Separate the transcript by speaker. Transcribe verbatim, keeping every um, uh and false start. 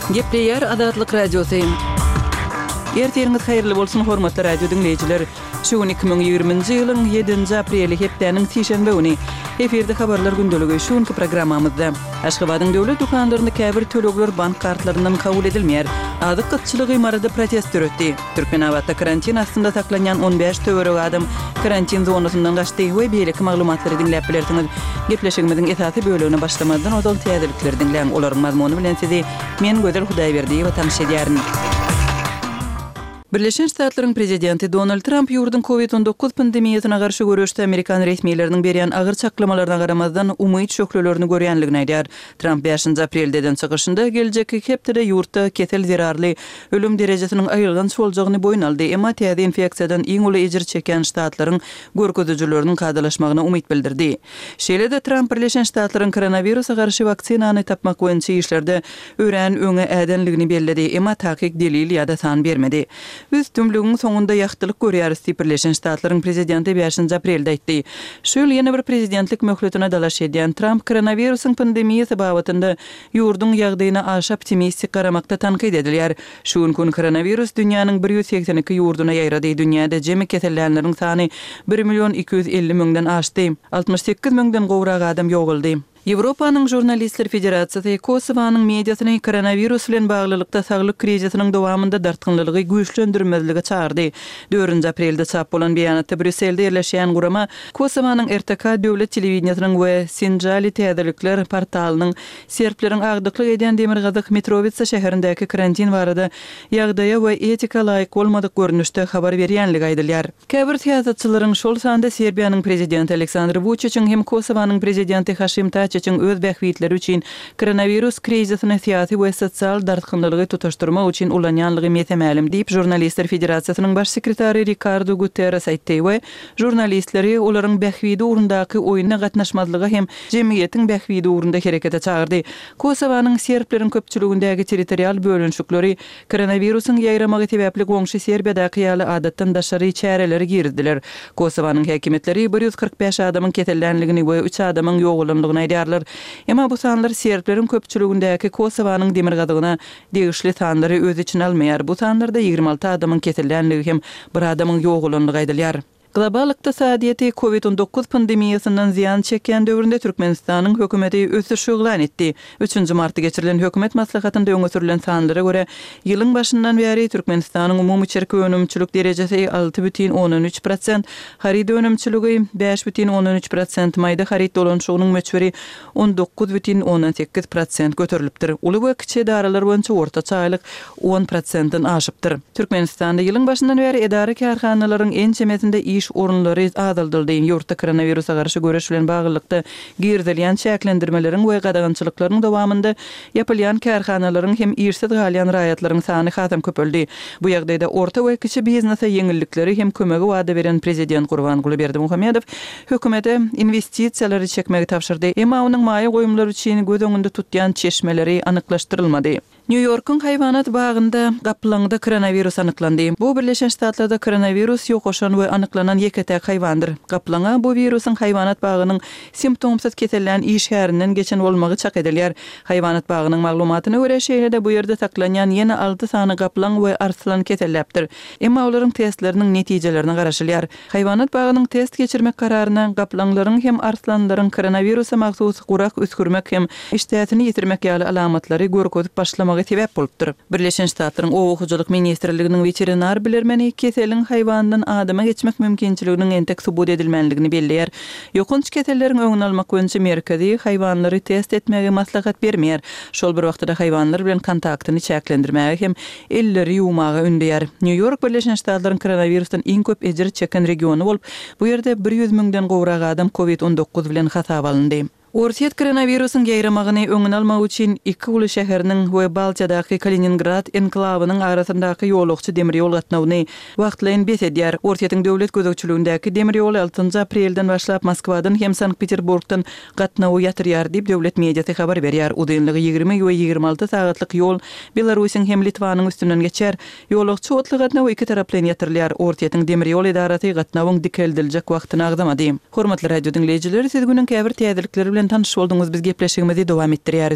Speaker 1: Gepleýär Azatlyk Radiosy. Ertiriňiz haýyrly bolsun, hormatly radio diňleýjiler. Şu gün iki müň ýigriminji ýylyň ýedinji apreli, hepdäniň sişenbe güni. Efirde habarlar gündeligi şu günki programmamyzda. Aşgabadyň döwlet dükanlarynda käbir tölegler bank kartlaryndan kabul edilmeýär. Azyk gytçylygy Maryda protest döretdi. Türkmenabatda karantin astynda saklanýan on bäş töweregi adam karantin zonasyndan gaçdy we beýleki maglumatlary diňläp bilersiňiz. Gepleşigimiziň esasy bölegine başlamazdan ozal täzelikleri diňläň. Olaryň mazmuny bilen sizi men Gözel Hudaýberdiýewa tanyş edýärin. Birleşen Ştatlaryň prezidenti Donald Tramp ýurduň Covid on dokuz pandemiýasyna garşy göreşde amerikan resmileriniň berýän agyr çaklamalaryna garamazdan, umyt şöhlelerini görýänligini aýdýar. Tramp bäşinji aprelde eden çykyşynda geljekki iki hepdede ýurtda kesel zerarly ölüm derejesiniň aýylganç boljagyny boýun aldy, emma täze infeksiýadan iň uly ejir çekýän ştatlaryň görkezijileriniň kadalaşmagyna umyt bildirdi. Şeýle-de Tramp Birleşen Ştatlaryň koronawirusa garşy waksinany tapmak boýunça işlerde örän öňe ädenligini belledi, emma takyk delil ýa-da san bermedi. Biz tümlügiň soňunda ýagtylyk görýäris diýip, Birleşen Ştatlaryň prezidenti bäşinji aprelde aýtdy. Şu ýyl ýene bir prezidentlik möhletine dalaş edýän Tramp koronawirusyň pandemiýasy babatynda ýurduň ýagdaýyna aşa optimistik garamakda tankyt edilýär. Şu günki gün koronawirus dünýäniň bir ýüz segsen iki ýurduna ýaýrady, dünýäde jemi kesellänleriň sany bir million iki ýüz elli müňden aşdy. Altmyş sekiz müňden gowrak adam ýogaldy. Ýewropanyň Žurnalistler federasiýasy Kosowanyň mediasyny koronawirus bilen baglylykda saglyk krizisiniň dowamynda dartgynlylygy güýçlendirmezlige çagyrdy. Dördünji aprelde çap bolan beýanatda Brýusselde ýerleşýän gurama Kosowanyň R T K döwlet telewideniýesiniň we Sinjali täzelikler portalynyň serbleriň agdyklyk edýän demirgazyk Mitrowitsa şäherindäki karantin barada ýagdaýa we etika laýyk bolmadyk görnüşde habar berýänligi aýdylýar. Käbir syýasatçylaryň, şol sanda Serbiýanyň prezidenti Aleksandr Wuçiçiň hem Kosowanyň prezidenti Haşim Taçiçiň öz bähbitleri üçin koronawirus krizisini syýasy we sosial dartgynlylygy tutaşdyrmak üçin ulanýanlygy mese-mälim diýip, Žurnalistler federasiýasynyň baş sekretary Rikardo Guterres aýtdy we žurnalistleri olaryň bähbidi ugrundaky oýuna gatnaşmazlyga hem jemgyýetiň bähbidi ugrunda herekete çagyrdy. Kosowanyň serbleriň köpçüligindäki territorial bölünişikleri koronawirusyň ýaýramagy sebäpli goňşy Serbiýadaky ýaly adatdan daşary çäreleri girizdiler. Kosowanyň häkimiýetleri bir ýüz kyrk bäş adamyň kesellänligini we üç adamyň ýogalanlygyny aýdýarlar. Emma bu sanlar serbleriň köpçüligindäki Kosowanyň demirgazygyna degişli sanlary öz içine almaýar. Bu sanlarda ýigrimi alty adamyň kesellänligi hem bir adamyň ýogalanlygy aýdylýar. Global ykdysadyýeti Covid on dokuz pandemiýasyndan zyýan çekýän döwründe Türkmenistanyň hökümeti ösüş yglan etdi. Üçünji martda geçirilen hökümet maslahatynda öňe sürlen sanlara görä, ýylyň başyndan bäri Türkmenistanyň umumy içerki önümçilik derejesi alty bütin ondan üç prosent, haryt önümçiligi bäş bütin ondan üç prosent, maýda haryt dolanyşygynyň möçberi on dokuz bütin ondan sekiz prosent göterilipdir. Uly we kiçi edaralar boýunça ortaça aýlyk on prosentden aşypdyr. Türkmenistanda ýylyň başyndan bäri edara-kärhanalaryň ençemesinde iş orunlary azaldyldy. Ýurtda koronawirusa garşy göreş bilen baglylykda girizilýän çäklendirmeleriň we gadagançylyklaryň dowamynda ýapylýan kärhanalaryň hem işsiz galýan raýatlaryň sany hasam köpeldi. Bu ýagdaýda orta we kiçi biznese ýeňillikleri hem kömegi wada beren prezident Gurbanguly Berdimuhamedow hökümete inwestisiýalary çekmegi tabşyrdy. Emma onuň maýa goýumlary üçin göz öňünde tutýan çeşmeleri anyklaşdyrylmady. Nýu-Ýorkuň haýwanat bagynda gaplaňda koronawirus anyklandy. Bu Birleşen Ştatlarda koronawirus ýokaşan we anyklanan ýeke-täk haýwandyr. Gaplaňa bu wirusyň haýwanat bagynyň simptomsyz kesellän işgärinden geçen bolmagy çak edilýär. Haýwanat bagynyň maglumatyna görä, şeýle-de bu ýerde saklanýan ýene alty sany gaplaň we arslan keselläpdir. Emma olaryň testleriniň netijelerine garaşylýar. Haýwanat bagynyň test geçirmek kararyna gaplaňlaryň hem arslanlaryň koronawirusa mahsus gurak üsgürmek hem işdäsini ýitirmek ýaly alamatlary görkezip başlamagy sebäp bolupdyr. Birleşen Ştatlaryň Oba hojalyk ministrliginiň weterinar bilermeni keseliň haýwandan adama geçmek mümkinçiliginiň entek subut edilmänligini belleýär. Ýokanç keselleriň öňüni almak boýunça merkezi haýwanlary test etmegi maslahat bermeýär. Şol bir wagtda-da haýwanlar bilen kontaktyny çäklendirmäge hem elleri ýuwmaga ündeýär. Nýu-Ýork Birleşen Ştatlaryň koronawirusdan iň köp ejir çeken regiony bolup, bu ýerde bir ýüz müňden gowrak adam Covid on dokuz bilen hasaba alyndy. Orsýet koronawirusyň ýaýramagyny öňüni almak üçin iki uly şäheriniň we Baltiýadaky Kaliningrad enklawynyň arasyndaky ýolagçy demir ýol gatnawyny wagtlaýyn bes edýär. Orsýetiň döwlet gözegçiligindäki demir ýoly altynjy aprelden başlap Moskwadan hem Sankt-Peterburgdan gatnawy ýatyrýar diýip, döwlet mediasy habar berýär. Uzynlygy ýigrimi we ýigrimi alty sagatlyk ýol Belarusyň hem Litwanyň üstünden geçýär. Ýolagçy otly gatnawy iki taraplaýyn ýatyrylýar. Orsýetiň demir ýol edarasy gatnawyň dikeldiljek wagtyny agzamady. Hormatly radio diňleýjiler, siz günüň käbir täzelikleri bilen tanyş bolduňyz, biz gepleşigimizi dowam etdirýäris.